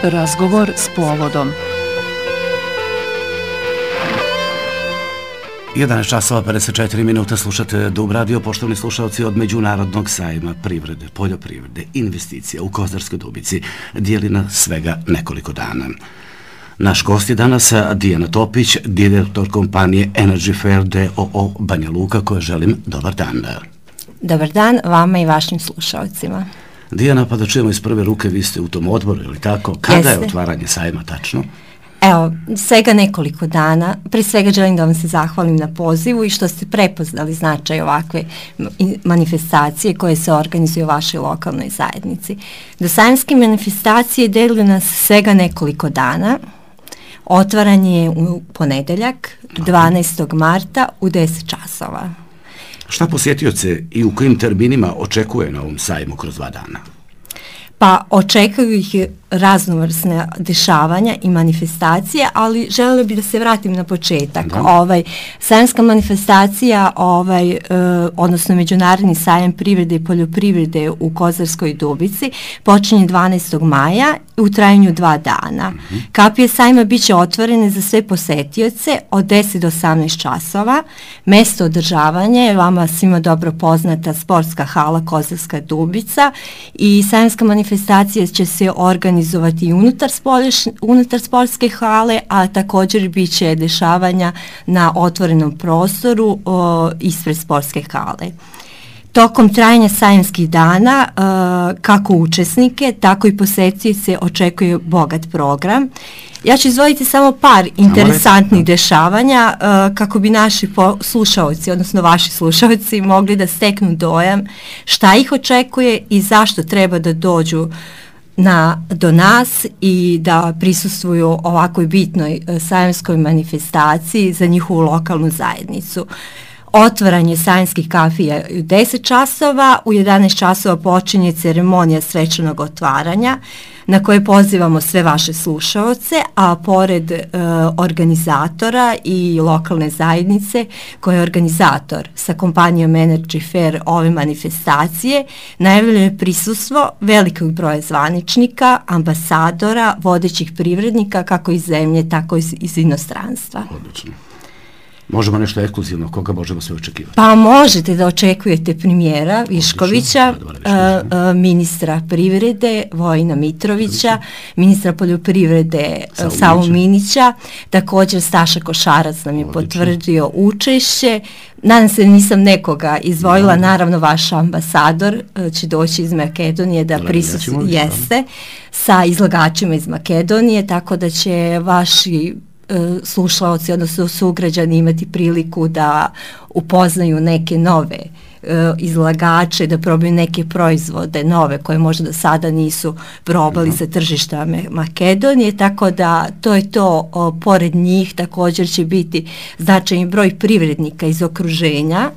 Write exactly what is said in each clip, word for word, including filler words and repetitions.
Razgovor s povodom. jedanaest časova pedeset četiri minuta, slušate Dub radio, poštovani slušalci. Od Međunarodnog sajma privrede, poljoprivrede, investicija u Kozarskoj Dubici dijeli na svega nekoliko dana. Naš gost je danas Dijana Topić, direktor kompanije Energy Fair d o o Banja Luka, koje želim dobar dan. Dobar dan vama i vašim slušalcima. Dijana, pa da čujemo iz prve ruke, vi ste u tom odboru, ili tako? Kada je otvaranje sajma tačno? Evo, svega nekoliko dana. Prije svega želim da vam se zahvalim na pozivu i što ste prepoznali značaj ovakve manifestacije koje se organizuju u vašoj lokalnoj zajednici. Do sajamske manifestacije deluje nas svega nekoliko dana. Otvaranje je u ponedeljak, dvanaestog marta u deset časova. Šta posjetioce i u kojim terminima očekuje na ovom sajmu kroz dva dana? Pa očekuju ih raznovrsne dešavanja i manifestacije, ali željela bih da se vratim na početak. Ovaj, sajamska manifestacija, ovaj, e, odnosno Međunarodni sajam privrede i poljoprivrede u Kozarskoj Dubici, počinje dvanaestog maja u trajanju dva dana. Mm-hmm. Kapije sajma bit će otvorene za sve posetioce od deset do osamnaest časova. Mesto održavanja je vama svima dobro poznata sportska hala Kozarska Dubica i sajamska manifestacija će se organizovati i unutar, spolješ, unutar sportske hale, a također bit će dešavanja na otvorenom prostoru o, ispred sportske hale. Tokom trajanja sajamskih dana, uh, kako učesnike, tako i posetioce očekuje bogat program. Ja ću izdvojiti samo par interesantnih dešavanja uh, kako bi naši slušalci, odnosno vaši slušalci, mogli da steknu dojam šta ih očekuje i zašto treba da dođu Na, do nas i da prisustvuju ovakvoj bitnoj uh, sajamskoj manifestaciji za njihovu lokalnu zajednicu. Otvaranje sajamskih kafija u deset časova, u jedanaest časova počinje ceremonija svečanog otvaranja na koje pozivamo sve vaše slušaoce, a pored e, organizatora i lokalne zajednice koja je organizator sa kompanijom Energy Fair ove manifestacije, najavljeno je prisustvo velikog broja zvaničnika, ambasadora, vodećih privrednika kako iz zemlje, tako i iz, iz inostranstva. Odlično. Možemo nešto ekskluzivno, koga možemo sve očekivati? Pa možete da očekujete premijera Viškovića, uh, ministra privrede Vojina Mitrovića, ministra poljoprivrede Savu Minića, također Staša Košarac nam je Odlično. potvrdio učešće. Nadam se da nisam nekoga izdvojila, no. Naravno vaš ambasador uh, će doći iz Makedonije da prisustvuje jeste sa izlagačima iz Makedonije, tako da će vaši slušaoci, odnosno sugrađani imati priliku da upoznaju neke nove uh, izlagače, da probaju neke proizvode nove koje možda do sada nisu probali sa tržišta Makedonije, tako da to je to. O, pored njih također će biti značajni broj privrednika iz okruženja.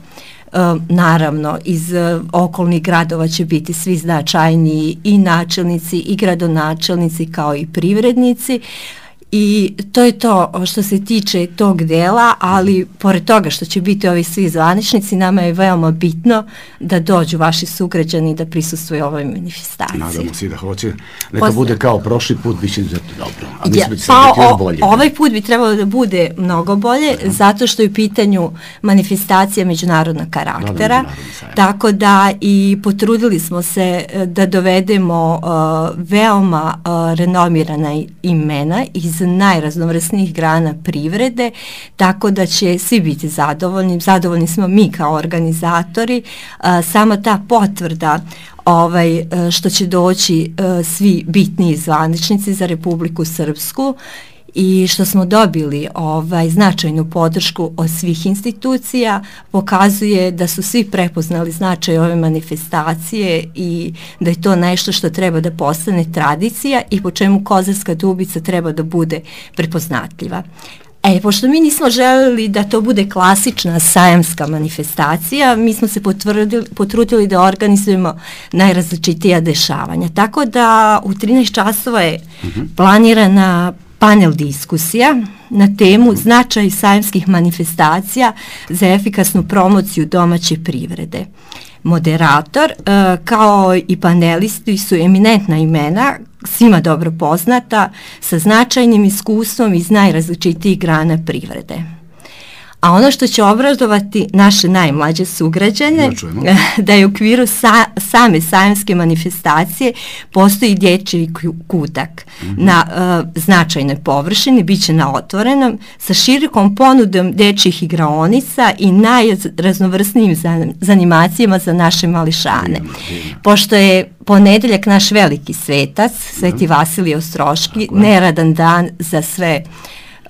Uh, naravno, iz uh, okolnih gradova će biti svi značajniji i načelnici i gradonačelnici kao i privrednici. I to je to što se tiče tog dela, ali pored toga što će biti ovi svi zvaničnici, nama je veoma bitno da dođu vaši sugrađani da prisustvuju ovoj manifestaciji. Nadamo se da hoće. Neka Posle... bude kao prošli put, bit će izuzetno dobro. A ja, mislim, pa još bolje. O, ovaj put bi trebalo da bude mnogo bolje, uh-huh. zato što je u pitanju manifestacija međunarodnog karaktera, da, tako da i potrudili smo se da dovedemo uh, veoma uh, renomirana imena iz najraznovrsnijih grana privrede, tako da će svi biti zadovoljni. Zadovoljni smo mi kao organizatori. A, sama ta potvrda ovaj, što će doći a, svi bitni zvaničnici za Republiku Srpsku i što smo dobili ovaj, značajnu podršku od svih institucija, pokazuje da su svi prepoznali značaj ove manifestacije i da je to nešto što treba da postane tradicija i po čemu Kozarska Dubica treba da bude prepoznatljiva. E, pošto mi nismo želeli da to bude klasična sajamska manifestacija, mi smo se potvrdili, potrudili da organizujemo najrazličitija dešavanja. Tako da u trinaest časova je mm-hmm. planirana panel diskusija na temu značaj sajamskih manifestacija za efikasnu promociju domaće privrede. Moderator e, kao i panelisti su eminentna imena, svima dobro poznata, sa značajnim iskustvom iz najrazličitijih grana privrede. A ono što će obradovati naše najmlađe sugrađane, da je u okviru sa, same sajamske manifestacije postoji dječji kutak mm-hmm. na uh, značajnoj površini, bit će na otvorenom, sa širokom ponudom dječjih igraonica i najraznovrsnijim zanimacijama za naše mališane. Mm, mm. Pošto je ponedeljak naš veliki svetac, Sveti mm. Vasilije Ostroški, neradan dan za sve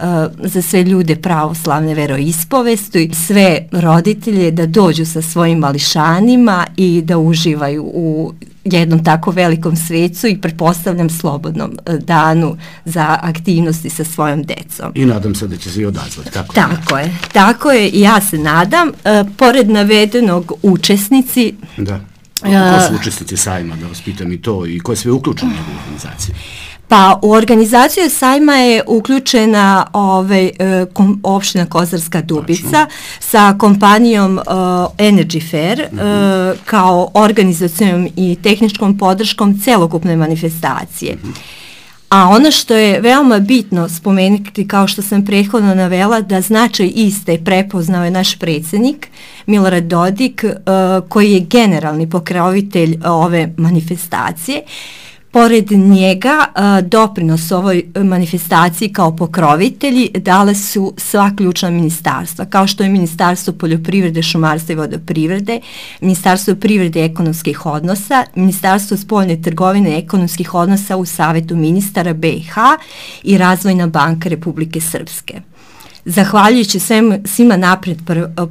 Uh, za sve ljude pravoslavne veroispovesti, sve roditelje da dođu sa svojim mališanima i da uživaju u jednom tako velikom svecu i pretpostavljam slobodnom uh, danu za aktivnosti sa svojom decom. I nadam se da će se i odazvati. Tako, tako je, tako je i ja se nadam. Uh, pored navedenog učesnici... Da. A ko su učesnici sajma, da vas pitam i to, i ko je sve uključen u njegovu organizaciju? Pa u organizaciju sajma je uključena ovaj, kom, opština Kozarska Dubica Tačno. sa kompanijom uh, Energy Fair mm-hmm. uh, kao organizacijom i tehničkom podrškom celokupne manifestacije. Mm-hmm. A ono što je veoma bitno spomenuti, kao što sam prethodno navela, da značaj iste prepoznao je naš predsjednik Milorad Dodik, uh, koji je generalni pokrovitelj ove manifestacije. Pored njega, uh, doprinos ovoj manifestaciji kao pokrovitelji dale su sva ključna ministarstva, kao što je Ministarstvo poljoprivrede, šumarstva i vodoprivrede, Ministarstvo privrede i ekonomskih odnosa, Ministarstvo spoljne trgovine i ekonomskih odnosa u Savetu ministara B i H i Razvojna banka Republike Srpske. Zahvaljujući svem, svima napred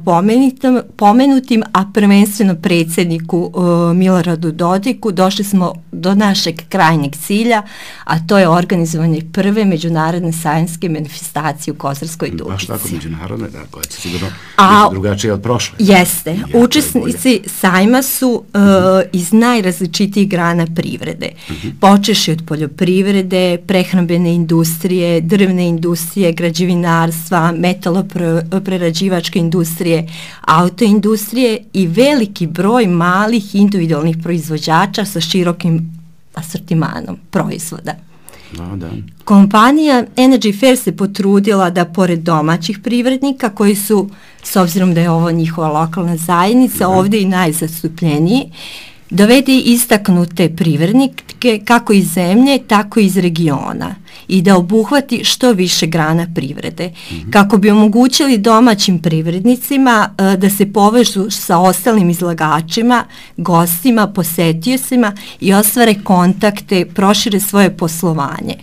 pomenutim, pomenutim, a prvenstveno predsjedniku uh, Miloradu Dodiku, došli smo do našeg krajnjeg cilja, a to je organizovanje prve međunarodne sajamske manifestacije u Kozarskoj Dubici. Baš tako međunarodne, da, koja će sigurno biti drugačije od prošle. Jeste. Ja, učesnici sajma su uh, uh-huh. iz najrazličitijih grana privrede. Uh-huh. Počeši od poljoprivrede, prehrambene industrije, drvne industrije, građevinarstva, metaloprerađivačke industrije, autoindustrije i veliki broj malih individualnih proizvođača sa širokim asortimanom proizvoda. Da, da. Kompanija Energy Fair se potrudila da pored domaćih privrednika, koji su, s obzirom da je ovo njihova lokalna zajednica, da. ovdje i najzastupljeniji, dovede istaknute privrednike kako iz zemlje, tako i iz regiona i da obuhvati što više grana privrede, mm-hmm. kako bi omogućili domaćim privrednicima uh, da se povežu sa ostalim izlagačima, gostima, posetiocima i ostvare kontakte, prošire svoje poslovanje.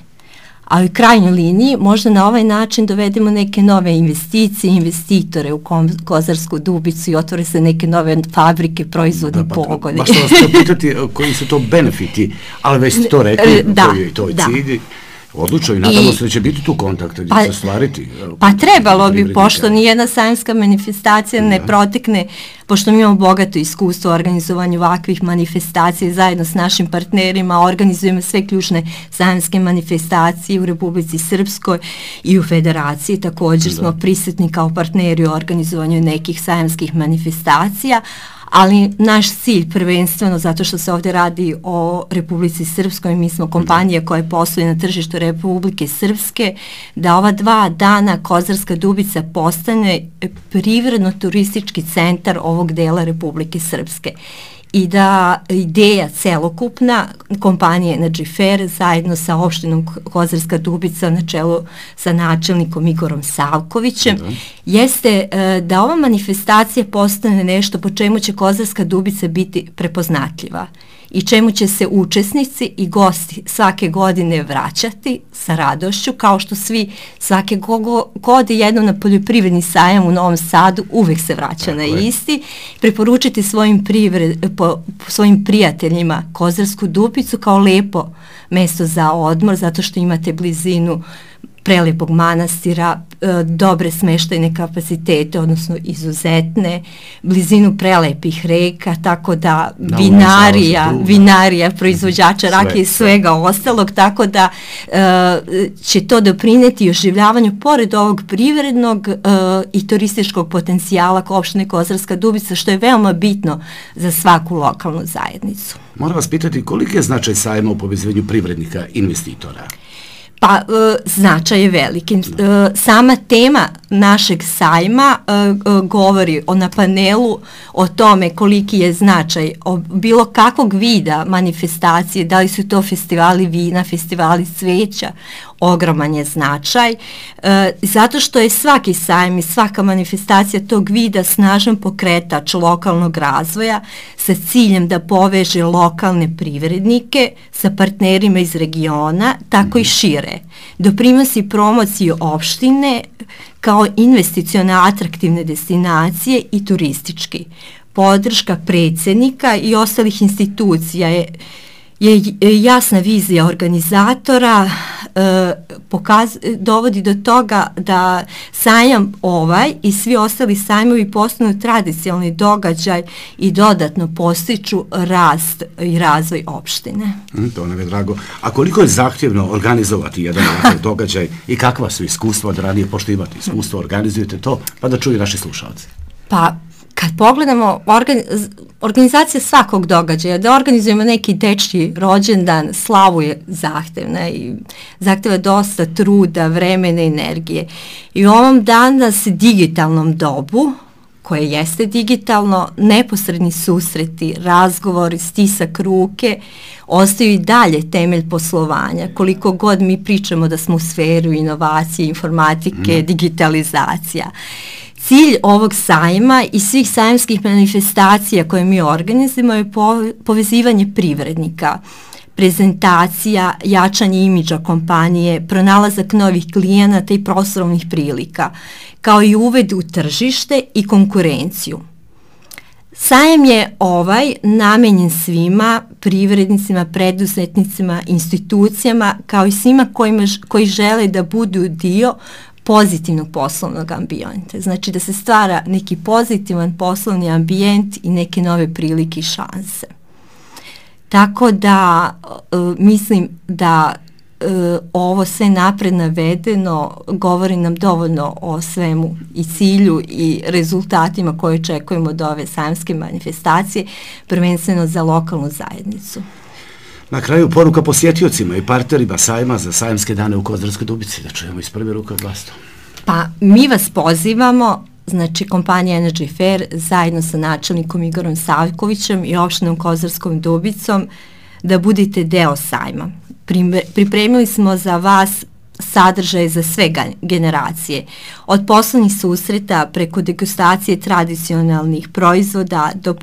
A u krajnjoj liniji možda na ovaj način dovedemo neke nove investicije, investitore u Kozarsku Dubicu i otvore se neke nove fabrike, proizvodni da, pa, pogone. Baš što vas treba pitati koji su to benefiti, ali već ste to rekli, da, koji je to da. cilj. Odlučno i nadamo I, se da će biti tu kontakta gdje pa, će se stvariti. Pa trebalo bi, pošto nijedna sajamska manifestacija ne protekne, pošto mi imamo bogato iskustvo u organizovanju ovakvih manifestacija, zajedno s našim partnerima organizujemo sve ključne sajamske manifestacije u Republici Srpskoj i u Federaciji. Također da. smo prisutni kao partneri u organizovanju nekih sajamskih manifestacija, ali naš cilj prvenstveno, zato što se ovdje radi o Republici Srpskoj, mi smo kompanija koja posluje na tržištu Republike Srpske, da ova dva dana Kozarska Dubica postane privredno-turistički centar ovog dela Republike Srpske. I da ideja celokupna kompanije Energy Fair zajedno sa opštinom Kozarska Dubica na čelu sa načelnikom Igorom Savkovićem da. jeste uh, da ova manifestacija postane nešto po čemu će Kozarska Dubica biti prepoznatljiva i čemu će se učesnici i gosti svake godine vraćati sa radošću, kao što svi svake godine jednom na poljoprivredni sajam u Novom Sadu uvek se vraća Tako na je. isti, preporučiti svojim, privred, po, svojim prijateljima Kozarsku Dubicu kao lepo mesto za odmor, zato što imate blizinu prelepog manastira, dobre smeštajne kapacitete, odnosno izuzetne, blizinu prelepih reka, tako da Da, vinarija, ono je vinarija, proizvođača Sve, rakije i sve. svega ostalog, tako da e, će to doprineti oživljavanju pored ovog privrednog e, i turističkog potencijala opštine Kozarska Dubica, što je veoma bitno za svaku lokalnu zajednicu. Moram vas pitati koliki je značaj sajma u povezivanju privrednika i investitora? Pa, e, značaj je veliki. E, sama tema našeg sajma e, e, govori o na panelu o tome koliki je značaj o bilo kakvog vida manifestacije, da li su to festivali vina, festivali cveća, ogroman je značaj, e, zato što je svaki sajam i svaka manifestacija tog vida snažan pokretač lokalnog razvoja sa ciljem da poveže lokalne privrednike sa partnerima iz regiona, tako i šire. Doprinosi promociju opštine kao investicione atraktivne destinacije i turistički. Podrška predsjednika i ostalih institucija je je jasna vizija organizatora, e, pokaz, dovodi do toga da sajam ovaj i svi ostali sajmovi postanu tradicionalni događaj i dodatno postiču rast i razvoj opštine. Mm, to nam je drago. A koliko je zahtjevno organizovati jedan ovakav događaj i kakva su iskustva od ranije, pošto imate iskustvo, organizujete to, pa da čuju naši slušalci? Pa, kad pogledamo organi organizacija svakog događaja, da organizujemo neki dečji rođendan, slavu je zahtevna i zahteva dosta truda, vremena i energije. I u ovom danas digitalnom dobu, koje jeste digitalno, neposredni susreti, razgovori, stisak ruke, ostaju i dalje temelj poslovanja. Koliko god mi pričamo da smo u sferu inovacije, informatike, mm. digitalizacija. Cilj ovog sajma i svih sajamskih manifestacija koje mi organizujemo je povezivanje privrednika, prezentacija, jačanje imidža kompanije, pronalazak novih klijenata i poslovnih prilika, kao i uved u tržište i konkurenciju. Sajam je ovaj namenjen svima, privrednicima, preduzetnicima, institucijama, kao i svima kojima, koji žele da budu dio pozitivnog poslovnog ambijenta. Znači da se stvara neki pozitivan poslovni ambijent i neke nove prilike i šanse. Tako da uh, mislim da uh, ovo sve napred navedeno govori nam dovoljno o svemu i cilju i rezultatima koje očekujemo od ove sajamske manifestacije, prvenstveno za lokalnu zajednicu. Na kraju poruka posjetiocima i partnerima sajma za sajamske dane u Kozarskoj Dubici, da čujemo iz prve ruke od vas. Pa mi vas pozivamo, znači kompanija Energy Fair zajedno sa načelnikom Igorom Savkovićem i opštinom Kozarskom Dubicom da budete deo sajma. Pripremili smo za vas sadržaje za sve generacije, od poslovnih susreta preko degustacije tradicionalnih proizvoda do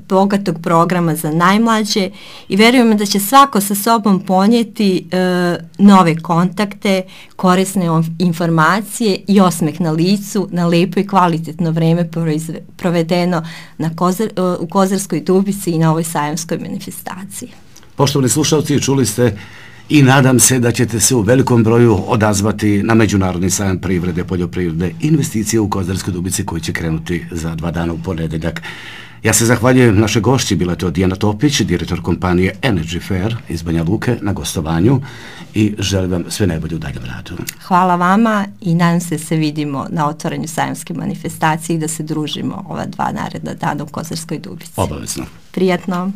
bogatog programa za najmlađe i verujemo da će svako sa sobom ponijeti e, nove kontakte, korisne informacije i osmeh na licu, na lepo i kvalitetno vreme provedeno na Kozar, u Kozarskoj Dubici i na ovoj sajamskoj manifestaciji. Poštovani slušalci, čuli ste i nadam se da ćete se u velikom broju odazvati na Međunarodni sajam privrede, poljoprivrede, investicije u Kozarskoj Dubici koji će krenuti za dva dana u ponedeljak. Ja se zahvaljujem naše gošći, bila to Dijana Topić, direktor kompanije Energy Fair iz Banja Luke na gostovanju i želim vam sve najbolje u daljem radu. Hvala vama i nadam se se vidimo na otvorenju sajamske manifestacije i da se družimo ova dva naredna dana u Kozarskoj Dubici. Obavezno. Prijatno.